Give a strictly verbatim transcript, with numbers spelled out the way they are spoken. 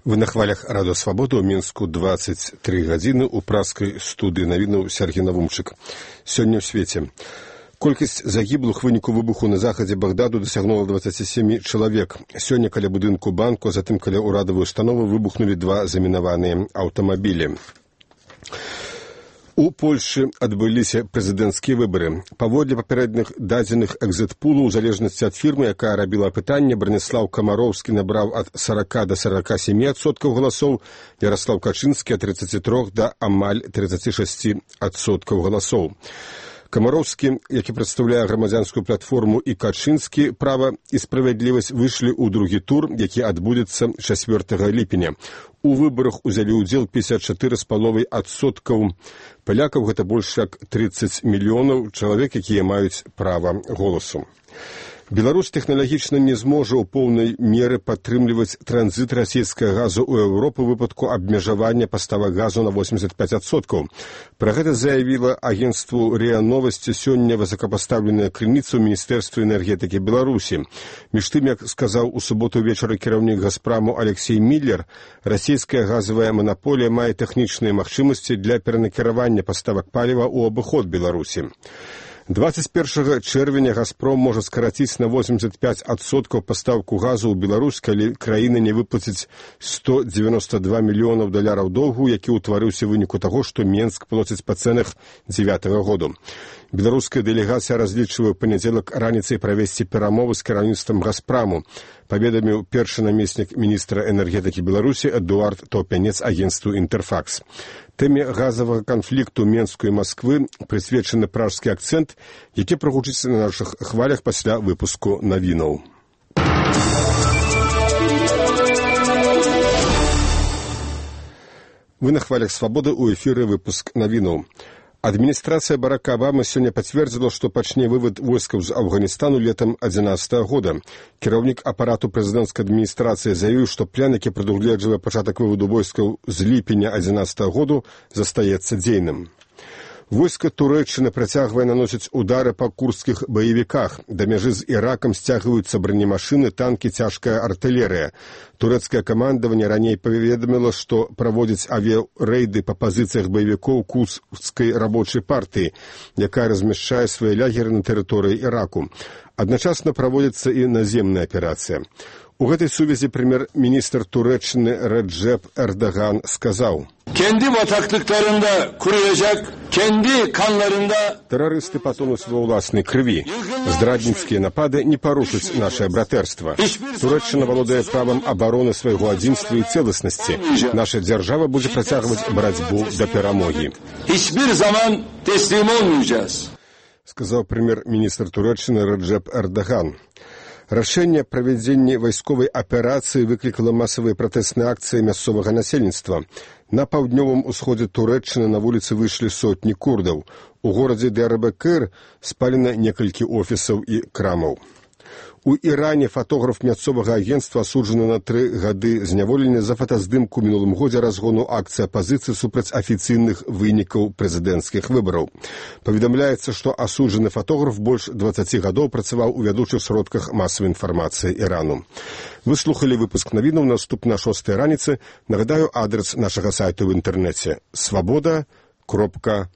Вы на хвалях Радио Свобода ў Мінску двадцать три гадзіны ў праскай студыі навінаў Сергей Навумчык. Сёння ў свеце. Колькасць загіблых выніку выбуху на захадзе Багдadu дасягнула двадцать семь чалавек. Сёння каля будынку банку, а затым каля ўрадавай установы выбухнулі два замінаваныя аўтамабілі. У Польшы адбыліся прэзідэнцкія выбары. Паводле папярэдных дадзеных экзіт-пулу, у залежнасці ад фірмы, якая рабіла апытанне, Браніслаў Камароўскі набраў ад сорока до сорока семи адсоткаў галасоў, Ярослаў Качынскі ад тридцати трёх да амаль тридцати шести адсоткаў галасоў. Камароўскі, які прадстаўляе грамадзянскую платформу, і Качынскі, права і справядлівасць, выйшлі ў другі тур, які адбудзецца чацвёртага ліпеня. У выбарах узялі ўдзел пятьдесят четыре з паловай адсоткаў палякаў, гэта больш як тридцать мільёнаў чалавек, якія маюць права голасу. Беларусь тэхналагічна не зможа ў поўнай меры падтрымліваць транзіт расійскага газу ў Еўропу ў выпадку абмежавання паставак газу на восемьдесят пять адсоткаў. Пра гэта заявіла агенцтву РИА Новости сёння высокапастаўленая крыніца ў Міністэрстве энергетыкі Беларусі. Між тым, як сказаў у суботу вечара кіраўнік Газпраму Алексей Миллер, расійская газавая манаполія мае тэхнічныя магчымасці для перанакіравання паставак паліва ў абыход Беларусі. двадцать первого чэрвеня Газпром можа скараціць на восемьдесят пять адсоткаў пастаўку газу ў Беларусь, калі краіна не выплаціць сто девяносто два мільёнаў даляраў доўгу, які ўтварыўся ў выніку таго, што Менск плоціць па цэнах дзевятага году. Беларуская дэлегацыя разлічвае ў панядзелак раніцай правесці перамовы з кіраўніцтвам Газпраму, паведаміў першы намеснік міністра энергетыкі Беларусі Эдуард Топянец агенцтву Інтэрфакс. Тэме газавага канфлікту Менску і Масквы прысвечаны пражскі акцэнт, які прагучыцца на нашых хвалях пасля выпуску навінаў. Вы на хвалях Свободы, у эфіры выпуск навінаў. Адміністрацыя Барака Абамы сёння пацвердзіла, што пачне вывад войскаў з Афганістану летам адзінаццатага года. Кіраўнік апарату прэзідэнцкай адміністрацыі заявіў, што план, які прадугледжвае пачатак вываду войскаў з ліпеня адзінаццатага году, застаецца дзейным. Войска Турэччыны працягвае наносіць удары па курдскіх баевіках. Да мяжы з Іракам сцягваюцца бронемашыны, танкі, цяжкая артылерыя. Турэцкае камандаванне раней паведаміла, што праводзіць авіярэйды па пазіцыях баевікоў курдскай рабочай партыі, якая размяшчае свае лягеры на тэрыторыі Іраку. Адначасна праводзіцца і наземная аперацыя. У гэтай сувязі прэм'ер-міністр Турэччыны Реджеп Эрдоган сказаў: Kendi bataklıklarında kuruyacak, kendi kanlarında... Тэрарысты патонуць ва ўласнай крыві. Здрадніцкія напады не парушаць наше братэрства. Турэччына валодае правам абароны свайго адзінства і цэласнасці. Наша дзяржава будзе працягваць барацьбу да перамогі. Hiçbir zaman teslim olmayacağız. Сказаў прэм'ер-міністр Турэччыны Реджеп Эрдоган. Рашэнне правядзення вайсковай аперацыі выклікала масавыя пратэсныя акцыі мясцовага насельніцтва. На паўднёвым усходзе Турэччыны на вуліцы выйшлі сотні курдаў. У горадзе Дыярбакыр спалена некалькі офісаў і крамаў. У Іране фатограф мясцовага агенцтва асуджаны на тры гады зняволення за фотаздымку мінулым годзе разгону акцыі апазіцыі супраць афіцыйных вынікаў прэзідэнцкіх выбараў. Паведамляецца, што асуджаны фатограф больш дваццаці гадоў працаваў у вядучых сродках масавай інфармацыі Ірану. Вы слухалі выпуск навінаў, наступна шостай раніцы. Нагадаю, адрес нашага сайту ў інтэрнэце свабода кропка